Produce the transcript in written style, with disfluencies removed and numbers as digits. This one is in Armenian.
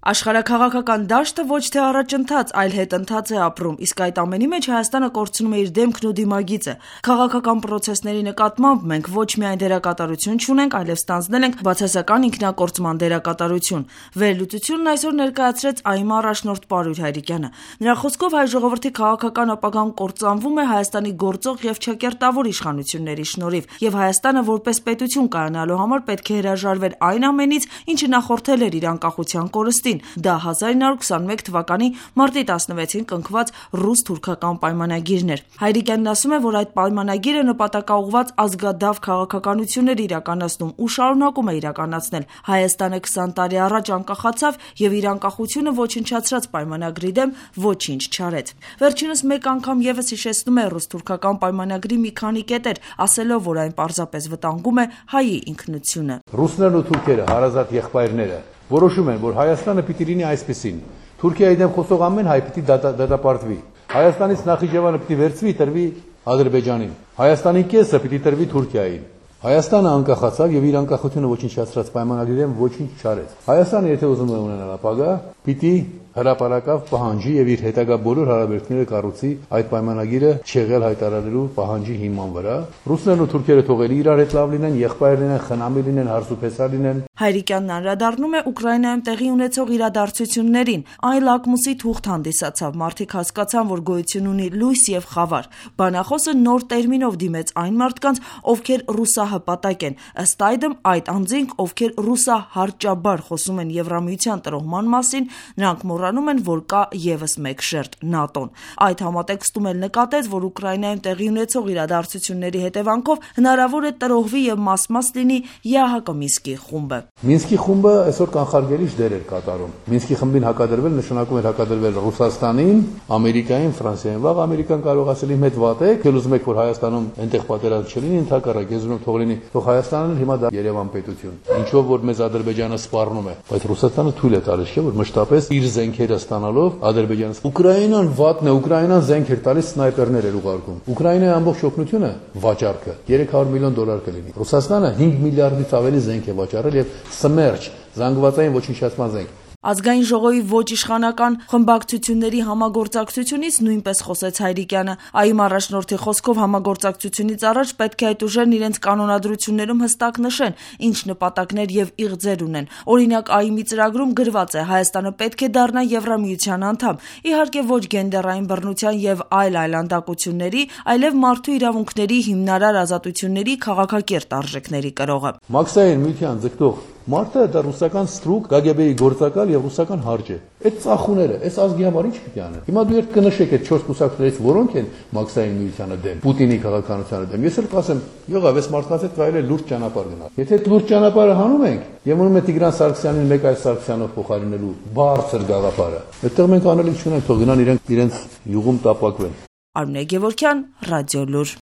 Աշխարհաքաղաքական դաշտը ոչ թե առաջընթաց, այլ հետընթաց է ապրում, իսկ այդ ամենի մեջ Հայաստանը կորցնում է իր դեմքն ու դիմագիծը։ Քաղաքական պրոցեսների նկատմամբ մենք ոչ միայն դերակատարություն չունենք, այլև ստանձնել ենք բացասական ինքնակորցման դերակատարություն։ Վերլուծությունն այսօր ներկայացրեց ԱԻՄ առաջնորդ Պարույր Հայրիկյանը։ Նրա խոսքով հայ ժողովրդի քաղաքական ապագան կործանվում է Հայաստանի գործող եւ չկերտավոր իշխանությունների շնորհիվ, եւ Հայաստանը որպես պետություն կայանալու համար պետք է հրաժարվեր այն ամենից, ինչը նախորդել էր իր անկախության կորստին։ Դա 1921 թվականի մարտի 16-ին կնքված ռուս-թուրքական պայմանագիրն էր։ Հայրիկյանն ասում է, որ այդ պայմանագիրը նպատակաուղղված ազգադավ քաղաքականություն էր իրականացնում ու շարունակում է իրականացնել։ Հայաստանը 20 տարի առաջ անկախացավ եւ իր անկախությունը ոչնչացրած պայմանագրի դեմ ոչինչ չարեց։ Վերջինս մեկ անգամ եւս հիշեցնում է ռուս-թուրքական պայմանագրի մի քանի կետեր, ասելով, որ այն պարզապես վտանգում է հայի ինքնությունը։ Ռուսներն ու թուրքերը, հարազատ եղբայրները, որոշում են, որ Հայաստանը պիտի լինի այսպեսին։ Թուրքիայի դեմ խոսող ամեն հայ պիտի դատապարտվի։ Հայաստանից Նախիջևանը պիտի վերցվի, տրվի Ադրբեջանին։ Հայաստանի կեսը պիտի տրվի Թուրքիային։ Հայաստանը անկախացավ եւ իր անկախությունը ոչնչացրած պայմանագրի դեմ ոչինչ չարեց։ Հայաստանը, եթե ուզում է ունենալ ապագա, պիտի հրապարակավ պահանջի եւ իր հետագա բոլոր հարաբերությունները կառուցի այդ պայմանագիրը չեղյալ հայտարարելու պահանջի հիման վրա։ Ռուսներն ու թուրքերը թողելի իրար հետ լավ լինեն, եղբայր լինեն, խնամի լինեն, հարսուփեսա լինեն։ Հայրիկյանն անդրադառնում է Ուկրաինայում տեղի ունեցող իրադարձություններին։ Այն լակմուսի թուղթ հանդիսացավ, մարդիկ հասկացան, որ գոյություն ունի լույս եւ խավար։ Բանախոսը նոր տերմինով դիմեց այն մարդկանց, ովքեր ռուսահպատակ են։ Ըստ այդմ այդ անձինք, ովքեր ռուսահարճաբար խոսում են Եվրամիության տրոհման մասին, նրանք մոռանում են, որ կա եւս մեկ շերտ՝ ՆԱՏՕ-ն։ Այդ համատեքստում էլ նկատեց, որ Ուկրաինայում տեղի ունեցող իրադարձությունների հետևանքով հնարավոր է տրոհվի եւ մաս լինի ԵԱՀԿ Մինսկի խումբը։ Մինսկի խումբը այսօր կանխարգելիչ դեր էր կատարում։ Մինսկի խմբին հակադրվել նշանակում էր հակադրվել Ռուսաստանին, Ամերիկային, Ֆրանսիային։ Վաղ Ամերիկան կարող ասել իմ հետ վատ եք, ել ուզում եք որ Հայաստանում այնտեղ պատերազմ չլինի, ընդհակառակ ես ուզում եմ թող լինի, թող Հայաստանն հիմա դա Երևան պետություն։ Ինչով որ մեզ Ադրբեջանը սպառնում է, բայց Ռուսաստանը թույլ է տալիս, չէ՞ որ մշտապես իր զենքերը ստանալով Ադրբեջանը։ Ուկրաինան վատն է, Ուկրաինան զենք էր տալիս, սնայպերներ էր ուղարկում։ Ուկրաինայի ամբողջ օգնությունը վաճառքը $300 միլիոն կլինի։ Ռուսաստանը 5 միլիարդից ավելի զենք է վաճառել եւ Սմերջ զանգվածային ոչնչացման զենք։ Ազգային ժողովի ոչ իշխանական խմբակցությունների համագործակցությունից նույնպես խոսեց Հայրիկյանը։ ԱԻՄ առաջնորդի խոսքով համագործակցությունից առաջ պետք է այդ ուժերն իրենց կանոնադրություններում հստակ նշեն, ինչ նպատակներ եւ իղձեր ունեն։ Օրինակ ԱԻՄ-ի ծրագրում գրված է Հայաստանը պետք է դառնա Եվրամիության անդամ։ Իհարկե ոչ գենդերային բռնության եւ այլ այլանդակությունների, այլև մարդու իրավունքների հիմնարար ազատությունների քաղաքակիրթ արժեքների կրողը։ Մաքսային միության ձգտող մարդը դա ռուսական ստրուկ, ԿԳԲ-ի գործակալ եւ ռուսական հարջ է։ Այդ ծախուները, այս ազգի համար ինչ պիտի անեն։ Հիմա դու երբ կնշեք այդ 4 կուսակցություններից որոնք են Մաքսային միությանը դեմ, Պուտինի քաղաքականությանը դեմ։ Ես էլ կասեմ, եղավ, այս մարդկանց հետ կարելի է լուրջ ճանապարհ գնալ։ Եթե այդ լուրջ ճանապարհը հանում ենք, եւ ունում է Տիգրան Սարգսյանին մեկ այլ Սարգսյանով փոխարինելու բարձր գաղափարը, այդտեղ մենք անելիք չունենք, թող գնան իրենց յուղում տապակվեն։ Արմինե Գևորգյան, Ռադիոլուր։